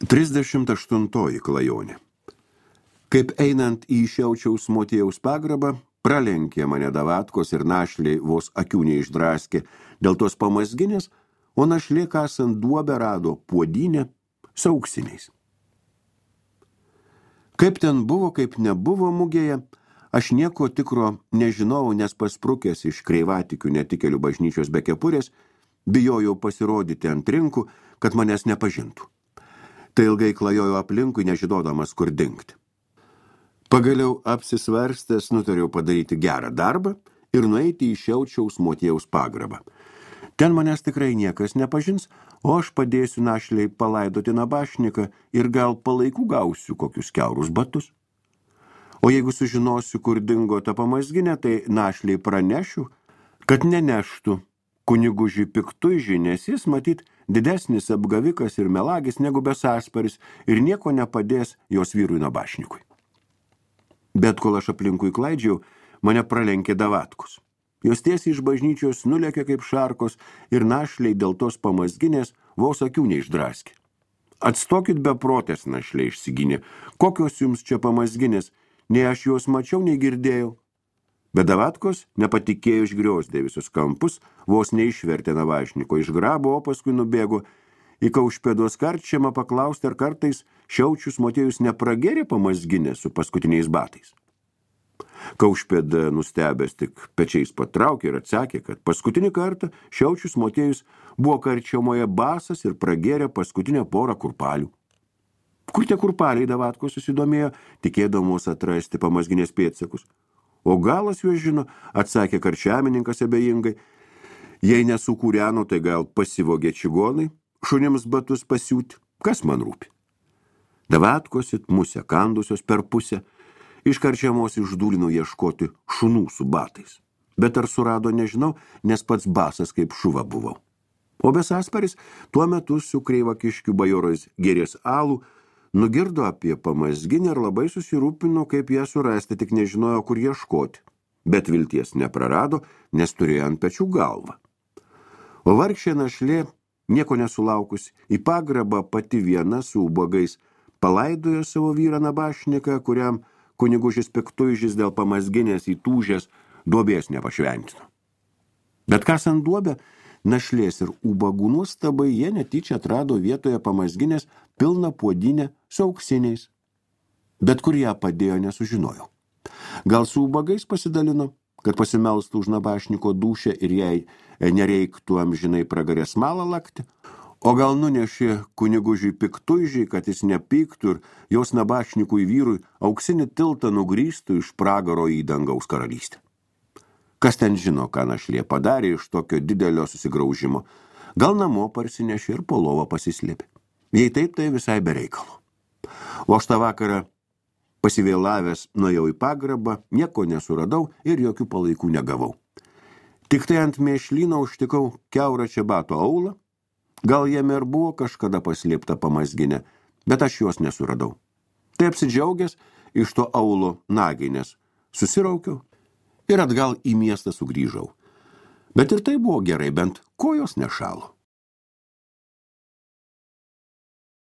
38 klajonė. Kaip einant į Šiaučiaus motiejaus pagrabą, pralenkė mane davatkos ir našliai vos akių neišdraskė dėl tos pamazginės, o našlė kasant duobę rado puodynę su auksiniais. Kaip ten buvo, kaip nebuvo mugėje, aš nieko tikro nežinau, nes pasprukęs iš Kreivatikių netikėlių bažnyčios be kepurės, bijojau pasirodyti ant rinkų, kad manęs nepažintų. Tai ilgai klajojau aplinkui, nežinodamas, kur dingti. Pagaliau apsisvarstęs nutariau padaryti gerą darbą ir nueiti į Šiaučiaus motiejaus pagrabą. Ten manęs tikrai niekas nepažins, o aš padėsiu našliai palaidoti nabašniką ir gal palaikų gausiu kokius kiaurus batus. O jeigu sužinosiu, kur dingo ta pamazginė, tai našliai pranešiu, kad neneštų kunigužį piktuižį, nes jis matyt didesnis apgavikas ir melagis negu besasparis ir nieko nepadės jos vyrui nabašnikui. Bet kol aš aplinkui klaidžiau, mane pralenkė davatkus. Jos tiesiai iš bažnyčios nulėkė kaip šarkos ir našliai dėl tos pamazginės vos akių neišdraskė. Atstokit beprotės, našliai išsigynė, kokios jums čia pamazginės, nei aš juos mačiau, nei girdėjau. Bet davatkos nepatikėjo išgriozdė visus kampus, vos neišvertė navašniko, išgrabo, o paskui nubėgo į Kaušpėdos karčiamą paklausti, ar kartais Šiaučius motiejus nepragėrė pamazginę su paskutiniais batais. Kaušpėda nustebęs tik pečiais patraukė ir atsakė, kad paskutinį kartą Šiaučius motiejus buvo karčiamoje basas ir pragėrė paskutinę porą kurpalių. Kur tie kurpaliai, davatkos susidomėjo, tikėdamos atrasti pamazginės pėdsakus. O galas juos žino, atsakė karčiamininkas abejingai. Jei nesukūreno, tai gal pasivogė čigonai, šunims batus pasiūti, kas man rūpi. Davatkos it musę kandusios per pusę, iš karčiamos išdūlino ieškoti šunų su batais. Bet ar surado, nežinau, nes pats basas kaip šuva buvau. O besasparis tuo metu su Kreivakiškių bajorais gėrės alų, nugirdo apie pamazginę ir labai susirūpino, kaip ją surasti, tik nežinojo, kur ieškoti. Bet vilties neprarado, nes turėjo ant pečių galvą. O vargšė našlė, nieko nesulaukus, į pagrabą pati viena su ubagais palaidojo savo vyrą nabašniką, kuriam kunigužis piktuižis dėl pamazginės įtūžęs duobės nepašventino. Bet kasant duobę, našlės ir ubagų nuostabai jie netyčia atrado vietoje pamazginės pilną puodynę su auksiniais. Bet kur ją padėjo, nesužinojau. Gal su ubagais pasidalino, kad pasimelstų už nabašniko dūšią ir jai nereiktų amžinai pragarę smalą lakti, o gal nunešė kunigužiui piktuižiai, kad jis nepyktų ir jos nabašnikui vyrui auksinį tiltą nugrįstų iš pragaro į dangaus karalystę. Kas ten žino, ką našlė padarė iš tokio didelio susigraužimo. Gal namo parsinešė ir po lovą pasislėpė. Jei taip, tai visai be reikalo. O aš tą vakarą pasivėlavęs nuėjau į pagrabą, nieko nesuradau ir jokių palaikų negavau. Tik tai ant mėšlyno užtikau kiaurą čebato aulą. Gal jame ir buvo kažkada paslėpta pamazginė, bet aš jos nesuradau. Tai apsidžiaugęs iš to aulo naginės susiraukiau ir atgal į miestą sugrįžau. Bet ir tai buvo gerai, bent kojos nešalo.